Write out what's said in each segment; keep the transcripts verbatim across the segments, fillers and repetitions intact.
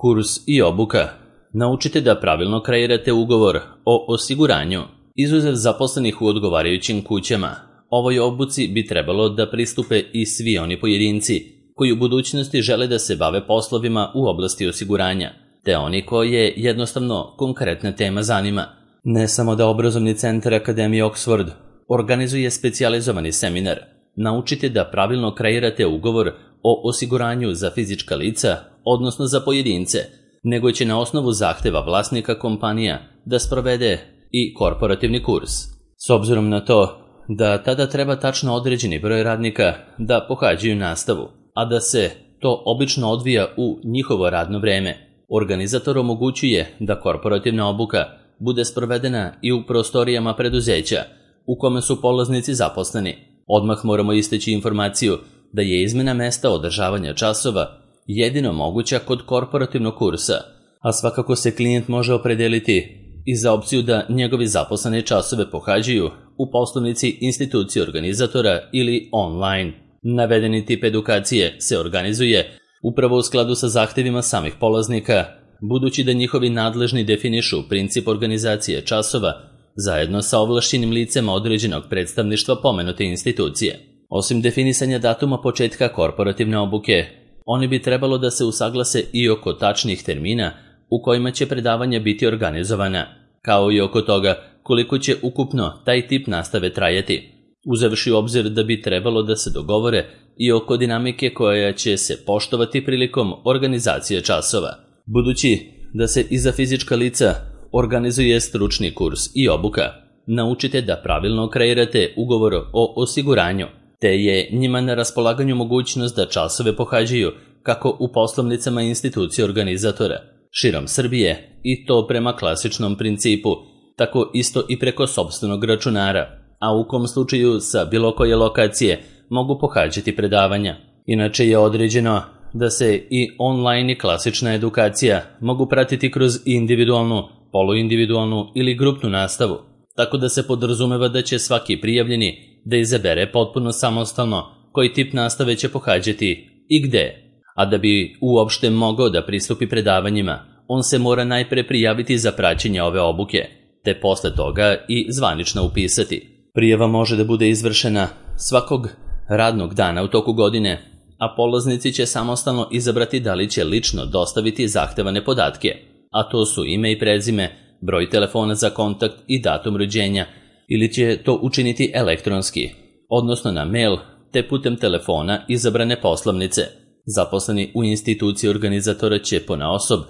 Kurs i obuka. Naučite da pravilno kreirate ugovor o osiguranju. Izuzev zaposlenih u odgovarajućim kućama, ovoj obuci bi trebalo da pristupe i svi oni pojedinci koji u budućnosti žele da se bave poslovima u oblasti osiguranja, te oni koje jednostavno konkretna tema zanima. Ne samo da obrazovni centar Akademije Oxford organizuje specijalizovani seminar Naučite da pravilno kreirate ugovor o osiguranju za fizička lica, odnosno za pojedince, nego će na osnovu zahteva vlasnika kompanija da sprovede i korporativni kurs. S obzirom na to da tada treba tačno određeni broj radnika da pohađaju nastavu, a da se to obično odvija u njihovo radno vreme, organizator omogućuje da korporativna obuka bude sprovedena i u prostorijama preduzeća u kome su polaznici zaposleni. Odmah moramo istaći informaciju da je izmena mesta održavanja časova jedino moguća kod korporativnog kursa, a svakako se klijent može opredeliti i za opciju da njegovi zaposleni časove pohađaju u poslovnici institucije organizatora ili online. Navedeni tip edukacije se organizuje upravo u skladu sa zahtevima samih polaznika, budući da njihovi nadležni definišu princip organizacije časova zajedno sa ovlašćenim licema određenog predstavništva pomenute institucije. Osim definisanja datuma početka korporativne obuke, oni bi trebalo da se usaglase i oko tačnih termina u kojima će predavanja biti organizovana, kao i oko toga koliko će ukupno taj tip nastave trajati, uzevši u obzir da bi trebalo da se dogovore i oko dinamike koja će se poštovati prilikom organizacije časova. Budući da se i za fizička lica organizuje stručni kurs i obuka, naučite da pravilno kreirate ugovor o osiguranju, te je njima na raspolaganju mogućnost da časove pohađaju kako u poslovnicama institucije organizatora širom Srbije, i to prema klasičnom principu, tako isto i preko sopstvenog računara, a u kom slučaju sa bilo koje lokacije mogu pohađati predavanja. Inače je određeno da se i online i klasična edukacija mogu pratiti kroz individualnu, poluindividualnu ili grupnu nastavu, tako da se podrazumeva da će svaki prijavljeni da izabere potpuno samostalno koji tip nastave će pohađati i gde. A da bi uopšte mogao da pristupi predavanjima, on se mora najpre prijaviti za praćenje ove obuke, te posle toga i zvanično upisati. Prijava može da bude izvršena svakog radnog dana u toku godine, a polaznici će samostalno izabrati da li će lično dostaviti zahtevane podatke, a to su ime i prezime, broj telefona za kontakt i datum rođenja, ili će to učiniti elektronski, odnosno na mail, te putem telefona izabrane poslovnice. Zaposleni u instituciji organizatora će ponaosob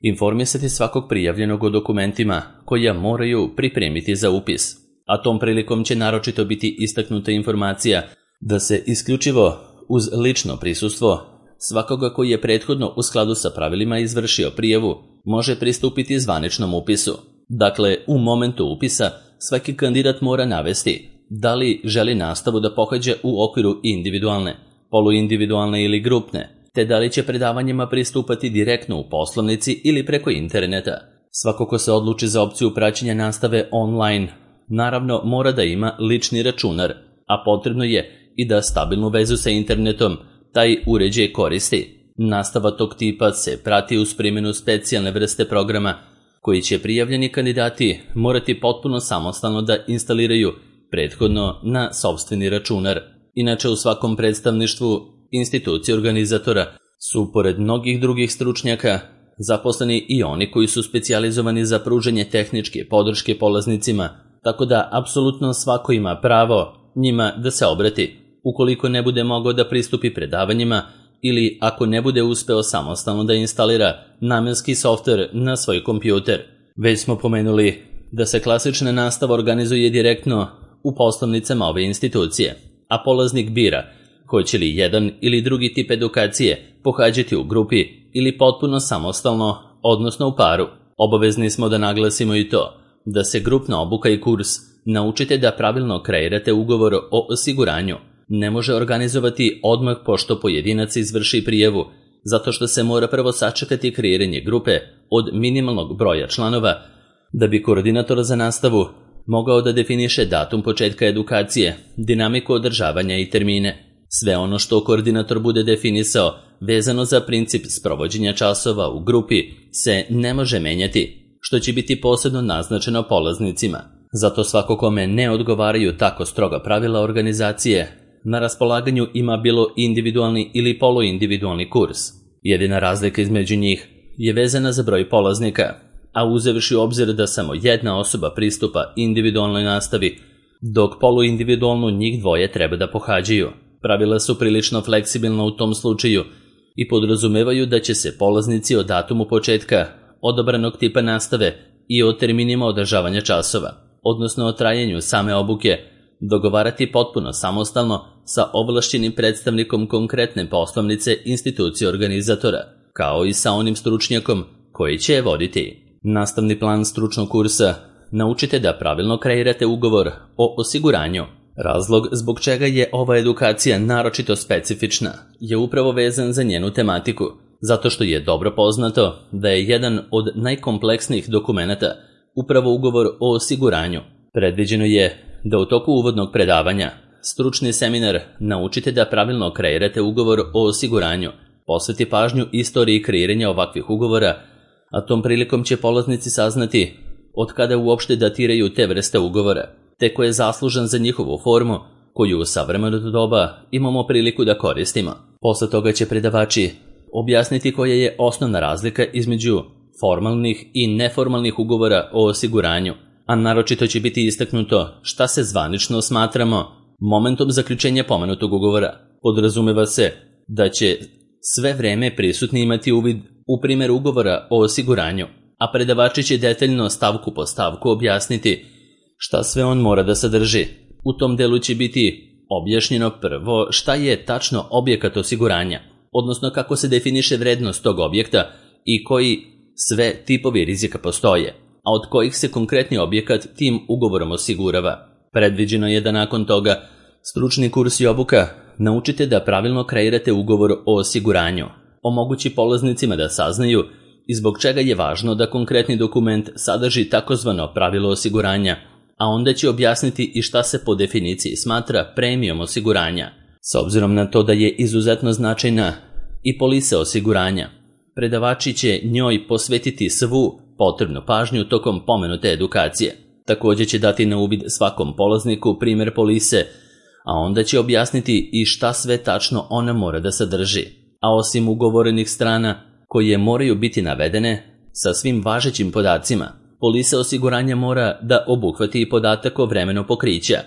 informisati svakog prijavljenog o dokumentima koja moraju pripremiti za upis, a tom prilikom će naročito biti istaknuta informacija da se isključivo uz lično prisustvo svakoga koji je prethodno u skladu sa pravilima izvršio prijavu može pristupiti zvaničnom upisu. Dakle, u momentu upisa svaki kandidat mora navesti da li želi nastavu da pohađa u okviru individualne, poluindividualne ili grupne, te da li će predavanjima pristupati direktno u poslovnici ili preko interneta. Svako ko se odluči za opciju praćenja nastave online, naravno mora da ima lični računar, a potrebno je i da stabilnu vezu sa internetom taj uređaj koristi. Nastava tog tipa se prati uz primjenu specijalne vrste programa koji će prijavljeni kandidati morati potpuno samostalno da instaliraju prethodno na sopstveni računar. Inače, u svakom predstavništvu institucije organizatora su, pored mnogih drugih stručnjaka, zaposleni i oni koji su specijalizovani za pružanje tehničke podrške polaznicima, tako da apsolutno svako ima pravo njima da se obrati ukoliko ne bude mogao da pristupi predavanjima ili ako ne bude uspeo samostalno da instalira namenski softver na svoj kompjuter. Već smo pomenuli da se klasična nastava organizuje direktno u poslovnicama ove institucije, a polaznik bira hoće li jedan ili drugi tip edukacije pohađati u grupi ili potpuno samostalno, odnosno u paru. Obavezni smo da naglasimo i to da se grupna obuka i kurs Naučite da pravilno kreirate ugovor o osiguranju ne može organizovati odmah pošto pojedinac izvrši prijavu, zato što se mora prvo sačekati kreiranje grupe od minimalnog broja članova, da bi koordinator za nastavu mogao da definiše datum početka edukacije, dinamiku održavanja i termine. Sve ono što koordinator bude definisao vezano za princip sprovođenja časova u grupi se ne može menjati, što će biti posebno naznačeno polaznicima. Zato svako kome ne odgovaraju tako stroga pravila organizacije, na raspolaganju ima bilo individualni ili poluindividualni kurs. Jedina razlika između njih je vezana za broj polaznika, a uzevši u obzir da samo jedna osoba pristupa individualnoj nastavi, dok poluindividualnu njih dvoje treba da pohađaju. Pravila su prilično fleksibilna u tom slučaju i podrazumevaju da će se polaznici o datumu početka odabranog tipa nastave i o terminima održavanja časova, odnosno o trajanju same obuke, dogovarati potpuno samostalno sa ovlašćenim predstavnikom konkretne poslovnice institucije organizatora, kao i sa onim stručnjakom koji će je voditi. Nastavni plan stručnog kursa: naučite da pravilno kreirate ugovor o osiguranju. Razlog zbog čega je ova edukacija naročito specifična je upravo vezan za njenu tematiku, zato što je dobro poznato da je jedan od najkompleksnijih dokumenata upravo ugovor o osiguranju. Predviđeno je da u toku uvodnog predavanja stručni seminar "Naučite da pravilno kreirate ugovor o osiguranju" posveti pažnju istoriji kreiranja ovakvih ugovora, a tom prilikom će polaznici saznati od kada uopšte datiraju te vrste ugovora, te ko je zaslužan za njihovu formu koju u savremeno doba imamo priliku da koristimo. Posle toga će predavači objasniti koja je osnovna razlika između formalnih i neformalnih ugovora o osiguranju, a naročito će biti istaknuto šta se zvanično smatramo momentom zaključenja pomenutog ugovora. Podrazumeva se da će sve vreme prisutni imati uvid u primjer ugovora o osiguranju, a predavači će detaljno stavku po stavku objasniti šta sve on mora da sadrži. U tom delu će biti objašnjeno prvo šta je tačno objekat osiguranja, odnosno kako se definiše vrednost tog objekta i koji sve tipovi rizika postoje, a od kojih se konkretni objekat tim ugovorom osigurava. Predviđeno je da nakon toga stručni kurs i obuka "Naučite da pravilno kreirate ugovor o osiguranju" omogući polaznicima da saznaju i zbog čega je važno da konkretni dokument sadrži takozvano pravilo osiguranja, a onda će objasniti i šta se po definiciji smatra premijom osiguranja. S obzirom na to da je izuzetno značajna i polisa osiguranja, predavači će njoj posvetiti svu potrebnu pažnju tokom pomenute edukacije. Također će dati na uvid svakom polazniku primjer polise, a onda će objasniti i šta sve tačno ona mora da sadrži. A osim ugovorenih strana koje moraju biti navedene sa svim važećim podacima, polisa osiguranja mora da obuhvati i podatak o vremenu pokrića,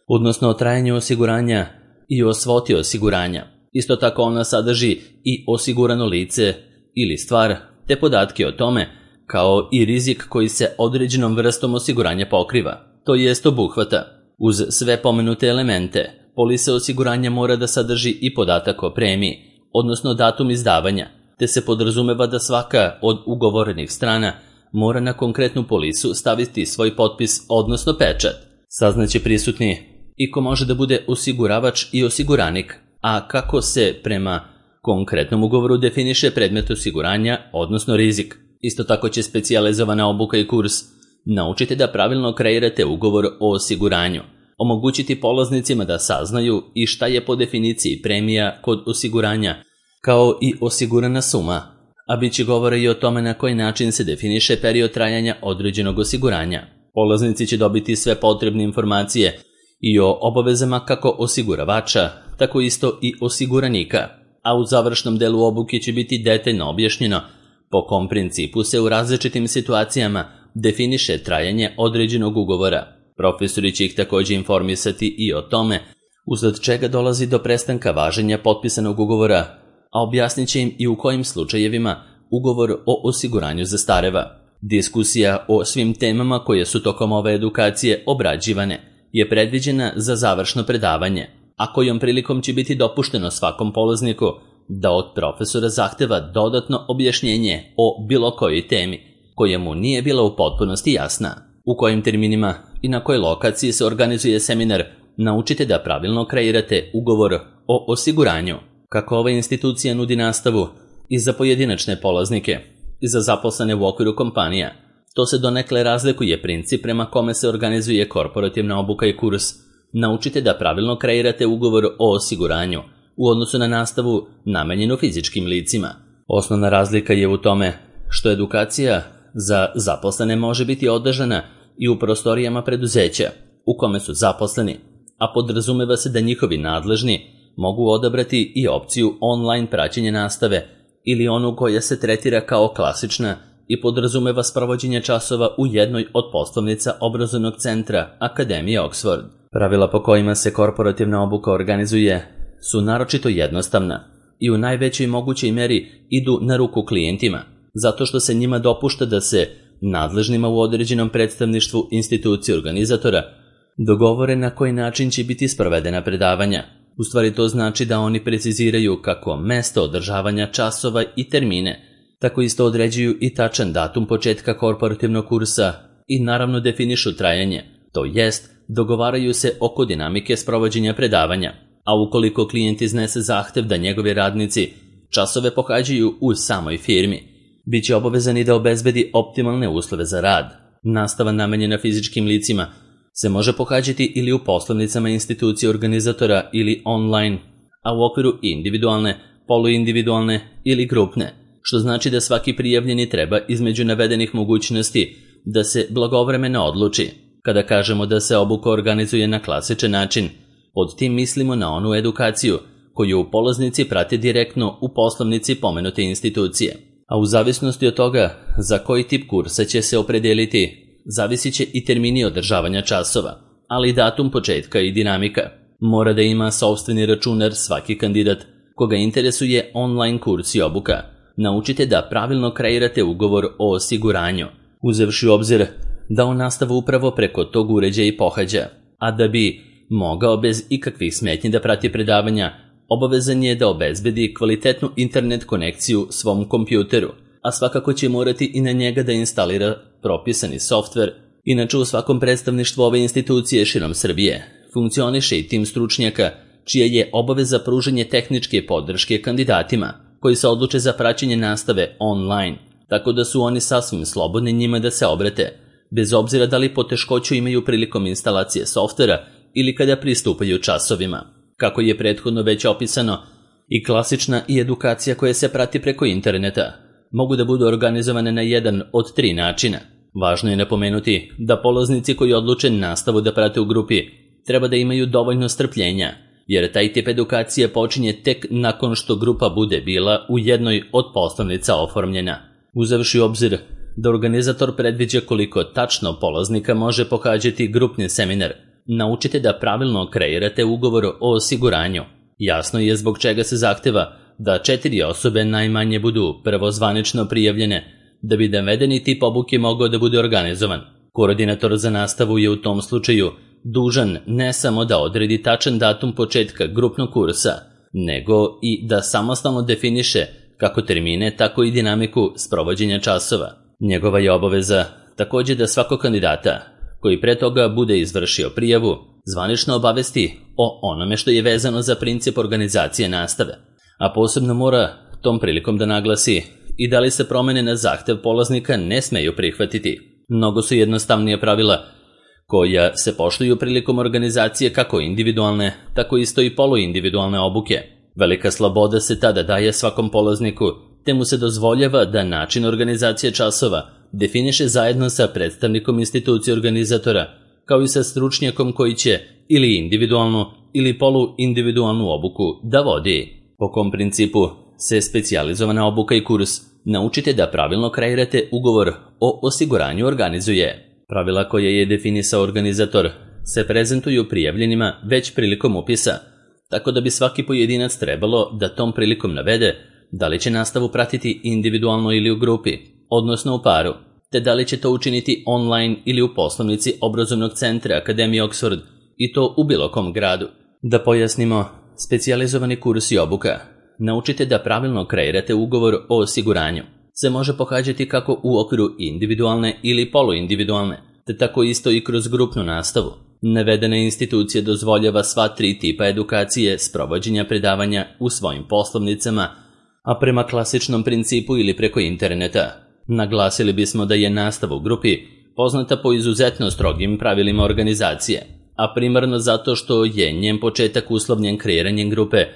odnosno o trajanju osiguranja i o svoti osiguranja. Isto tako ona sadrži i osigurano lice ili stvar, te podatke o tome, kao i rizik koji se određenom vrstom osiguranja pokriva, to jest obuhvata. Uz sve pomenute elemente, polisa osiguranja mora da sadrži i podatak o premiji, odnosno datum izdavanja, te se podrazumeva da svaka od ugovorenih strana mora na konkretnu polisu staviti svoj potpis, odnosno pečat. Saznaće prisutni i ko može da bude osiguravač i osiguranik, a kako se prema konkretnom ugovoru definiše predmet osiguranja, odnosno rizik. Isto tako će specijalizovana obuka i kurs "Naučite da pravilno kreirate ugovor o osiguranju" omogućiti polaznicima da saznaju i šta je po definiciji premija kod osiguranja, kao i osigurana suma, a bit će govora i o tome na koji način se definiše period trajanja određenog osiguranja. Polaznici će dobiti sve potrebne informacije i o obavezama kako osiguravača, tako isto i osiguranika, a u završnom delu obuke će biti detaljno objašnjeno po kom principu se u različitim situacijama definiše trajanje određenog ugovora. Profesori će ih također informisati i o tome usled čega dolazi do prestanka važenja potpisanog ugovora, a objasnit će im i u kojim slučajevima ugovor o osiguranju zastareva. Diskusija o svim temama koje su tokom ove edukacije obrađivane je predviđena za završno predavanje, a kojom prilikom će biti dopušteno svakom polazniku da od profesora zahteva dodatno objašnjenje o bilo kojoj temi koja mu nije bila u potpunosti jasna. U kojim terminima i na kojoj lokaciji se organizuje seminar "Naučite da pravilno kreirate ugovor o osiguranju". Kako ova institucija nudi nastavu i za pojedinačne polaznike i za zaposlene u okviru kompanija, to se donekle razlikuje princip prema kome se organizuje korporativna obuka i kurs "Naučite da pravilno kreirate ugovor o osiguranju", u odnosu na nastavu namenjenu fizičkim licima. Osnovna razlika je u tome što edukacija za zaposlene može biti održana i u prostorijama preduzeća u kome su zaposleni, a podrazumeva se da njihovi nadležni mogu odabrati i opciju online praćenja nastave ili onu koja se tretira kao klasična i podrazumeva sprovođenje časova u jednoj od poslovnica obrazovnog centra Akademije Oxford. Pravila po kojima se korporativna obuka organizuje su naročito jednostavna i u najvećoj mogućoj meri idu na ruku klijentima, zato što se njima dopušta da se nadležnima u određenom predstavništvu institucije organizatora dogovore na koji način će biti sprovedena predavanja. U stvari to znači da oni preciziraju kako mesto održavanja časova i termine, tako isto određuju i tačan datum početka korporativnog kursa i naravno definišu trajanje, to jest dogovaraju se oko dinamike sprovođenja predavanja, a ukoliko klijent iznese zahtev da njegovi radnici časove pohađaju u samoj firmi, bit će obavezani da obezbedi optimalne uslove za rad. Nastava namenjena fizičkim licima se može pohađati ili u poslovnicama institucije organizatora ili online, a u okviru individualne, poluindividualne ili grupne, što znači da svaki prijavljeni treba između navedenih mogućnosti da se blagovremeno odluči. Kada kažemo da se obuka organizuje na klasičan način, pod tim mislimo na onu edukaciju koju polaznici prate direktno u poslovnici pomenute institucije. A u zavisnosti od toga za koji tip kursa će se opredeliti, zavisit će i termini održavanja časova, ali i datum početka i dinamika. Mora da ima sopstveni računar svaki kandidat koga interesuje online kurs i obuka. Naučite da pravilno kreirate ugovor o osiguranju, uzevši u obzir da on nastavu upravo preko tog uređaja i pohađa, a da bi mogao bez ikakvih smetnji da prati predavanja, obavezan je da obezbedi kvalitetnu internet konekciju svom kompjuteru, a svakako će morati i na njega da instalira propisani softver. Inače u svakom predstavništvu ove institucije širom Srbije funkcioniše i tim stručnjaka čija je obaveza pružanje tehničke podrške kandidatima koji se odluče za praćenje nastave online, tako da su oni sasvim slobodni njima da se obrate, bez obzira da li poteškoću imaju prilikom instalacije softvera ili kada pristupaju časovima. Kako je prethodno već opisano, i klasična i edukacija koja se prati preko interneta mogu da budu organizovane na jedan od tri načina. Važno je napomenuti da polaznici koji odluče nastavu da prate u grupi treba da imaju dovoljno strpljenja, jer taj tip edukacije počinje tek nakon što grupa bude bila u jednoj od poslovnica oformljena. Uzevši u obzir da organizator predviđa koliko tačno polaznika može pohađati grupni seminar, naučite da pravilno kreirate ugovor o osiguranju. Jasno je zbog čega se zahteva da četiri osobe najmanje budu prvo zvanično prijavljene, da bi navedeni tip obuke mogao da bude organizovan. Koordinator za nastavu je u tom slučaju dužan ne samo da odredi tačan datum početka grupnog kursa, nego i da samostalno definiše kako termine, tako i dinamiku sprovođenja časova. Njegova je obaveza također da svakog kandidata koji pre toga bude izvršio prijavu zvanično obavesti o onome što je vezano za princip organizacije nastave, a posebno mora tom prilikom da naglasi i da li se promene na zahtev polaznika ne smeju prihvatiti. Mnogo su jednostavnije pravila koja se poštuju prilikom organizacije kako individualne, tako isto i poluindividualne obuke. Velika sloboda se tada daje svakom polazniku, te mu se dozvoljava da način organizacije časova definiše zajedno sa predstavnikom institucije organizatora, kao i sa stručnjakom koji će ili individualnu ili poluindividualnu obuku da vodi. Po kom principu se specijalizovana obuka i kurs naučite da pravilno kreirate ugovor o osiguranju organizuje. Pravila koje je definisao organizator se prezentuju prijavljenima već prilikom upisa, tako da bi svaki pojedinac trebalo da tom prilikom navede da li će nastavu pratiti individualno ili u grupi, odnosno u paru, te da li će to učiniti online ili u poslovnici obrazovnog centra Akademije Oxford i to u bilo kom gradu. Da pojasnimo, specijalizovani kurs i obuka naučite da pravilno kreirate ugovor o osiguranju se može pohađati kako u okviru individualne ili poluindividualne, te tako isto i kroz grupnu nastavu. Navedena institucija dozvoljava sva tri tipa edukacije sprovođenja predavanja u svojim poslovnicama, a prema klasičnom principu ili preko interneta. Naglasili bismo da je nastava u grupi poznata po izuzetno strogim pravilima organizacije, a primarno zato što je njen početak uslovljen kreiranjem grupe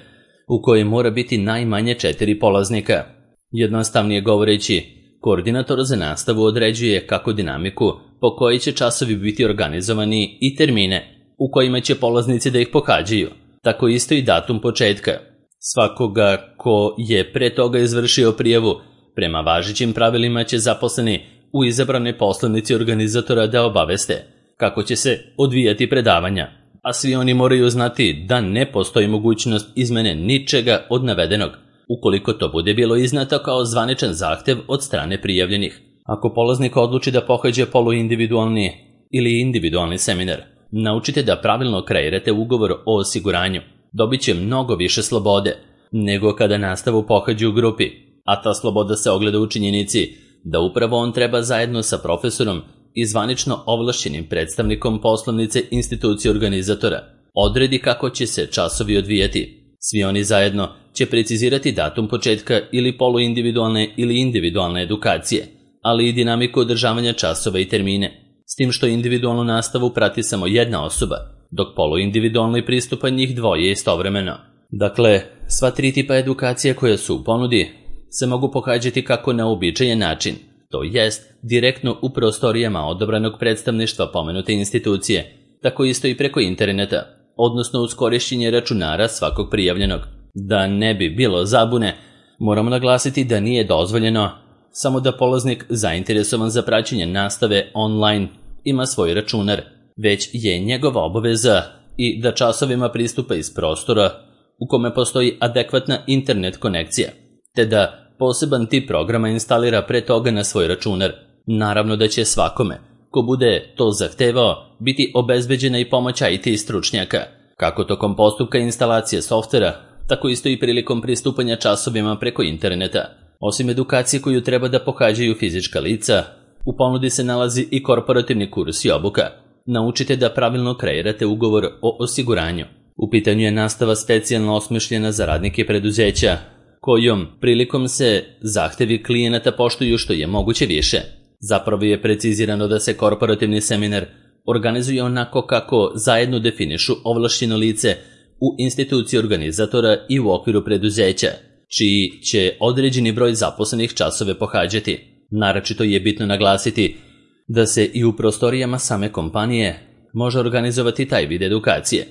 u kojoj mora biti najmanje četiri polaznika. Jednostavnije govoreći, koordinator za nastavu određuje kako dinamiku po kojoj će časovi biti organizovani i termine u kojima će polaznici da ih pohađaju, tako isto i datum početka. Svakoga ko je pre toga izvršio prijavu, prema važećim pravilima će zaposleni u izabranoj poslovnici organizatora da obaveste kako će se odvijati predavanja, a svi oni moraju znati da ne postoji mogućnost izmene ničega od navedenog, ukoliko to bude bilo izneto kao zvaničan zahtev od strane prijavljenih. Ako polaznik odluči da pohađa poluindividualni ili individualni seminar, naučite da pravilno kreirate ugovor o osiguranju. Dobit će mnogo više slobode nego kada nastavu pohađa u grupi, a ta sloboda se ogleda u činjenici da upravo on treba zajedno sa profesorom i zvanično ovlašćenim predstavnikom poslovnice institucije organizatora odredi kako će se časovi odvijati. Svi oni zajedno će precizirati datum početka ili poluindividualne ili individualne edukacije, ali i dinamiku održavanja časova i termine, s tim što individualnu nastavu prati samo jedna osoba, dok poluindividualni pristupa njih dvoje istovremeno. Dakle, sva tri tipa edukacije koje su u ponudi se mogu pohađati kako na uobičajen način, to jest direktno u prostorijama odabranog predstavništva pomenute institucije, tako isto i preko interneta, odnosno uz korišćenje računara svakog prijavljenog. Da ne bi bilo zabune, moramo naglasiti da nije dozvoljeno samo da polaznik zainteresovan za praćenje nastave online ima svoj računar, već je njegova obaveza i da časovima pristupa iz prostora u kome postoji adekvatna internet konekcija, te da poseban tip programa instalira pre toga na svoj računar. Naravno da će svakome ko bude to zahtevao biti obezbeđena i pomoć I T stručnjaka, kako tokom postupka instalacije softvera, tako isto i prilikom pristupanja časovima preko interneta. Osim edukacije koju treba da pohađaju fizička lica, u ponudi se nalazi i korporativni kurs i obuka. Naučite da pravilno kreirate ugovor o osiguranju. U pitanju je nastava specijalno osmišljena za radnike preduzeća, kojom prilikom se zahtevi klijenata poštuju što je moguće više. Zapravo je precizirano da se korporativni seminar organizuje onako kako zajedno definišu ovlašćeno lice u instituciji organizatora i u okviru preduzeća, čiji će određeni broj zaposlenih časove pohađati. Naročito je bitno naglasiti da se i u prostorijama same kompanije može organizovati taj vid edukacije.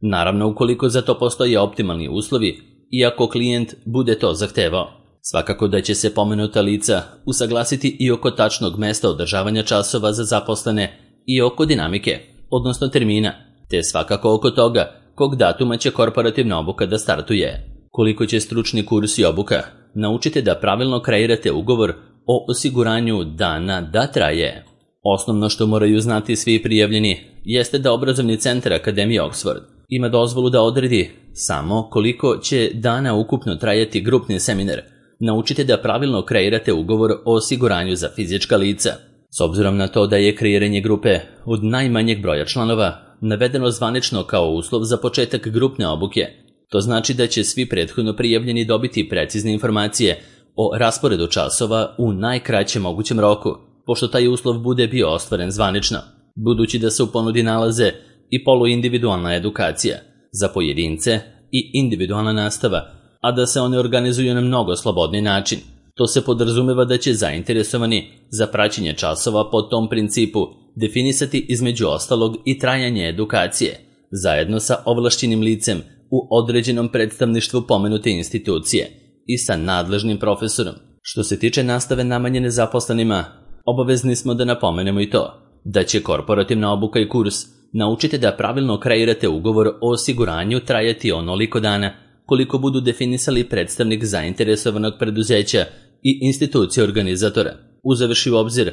Naravno, ukoliko za to postoje optimalni uslovi i ako klijent bude to zahtevao. Svakako da će se pomenuta lica usaglasiti i oko tačnog mesta održavanja časova za zaposlene i oko dinamike, odnosno termina, te svakako oko toga kog datuma će korporativna obuka da startuje. Koliko će stručni kurs i obuka, naučite da pravilno kreirate ugovor o osiguranju dana da traje. Osnovno što moraju znati svi prijavljeni jeste da obrazovni centar Akademije Oxford ima dozvolu da odredi samo koliko će dana ukupno trajati grupni seminar. Naučite da pravilno kreirate ugovor o osiguranju za fizička lica. S obzirom na to da je kreiranje grupe od najmanjeg broja članova navedeno zvanično kao uslov za početak grupne obuke, to znači da će svi prethodno prijavljeni dobiti precizne informacije o rasporedu časova u najkraćem mogućem roku, pošto taj uslov bude bio ostvaren zvanično, budući da se u ponudi nalaze i poluindividualna edukacija za pojedince i individualna nastava, a da se one organizuju na mnogo slobodni način. To se podrazumeva da će zainteresovani za praćenje časova po tom principu definisati između ostalog i trajanje edukacije, zajedno sa ovlašćenim licem u određenom predstavništvu pomenute institucije i sa nadležnim profesorom. Što se tiče nastave namenjene zaposlenima, obavezni smo da napomenemo i to, da će korporativna obuka i kurs naučite da pravilno kreirate ugovor o osiguranju trajati onoliko dana koliko budu definisali predstavnik zainteresovanog preduzeća i institucije organizatora, uzevši u obzir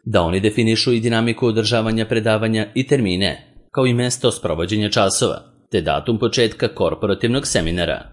da oni definišu i dinamiku održavanja predavanja i termine, kao i mesto sprovođenja časova, te datum početka korporativnog seminara.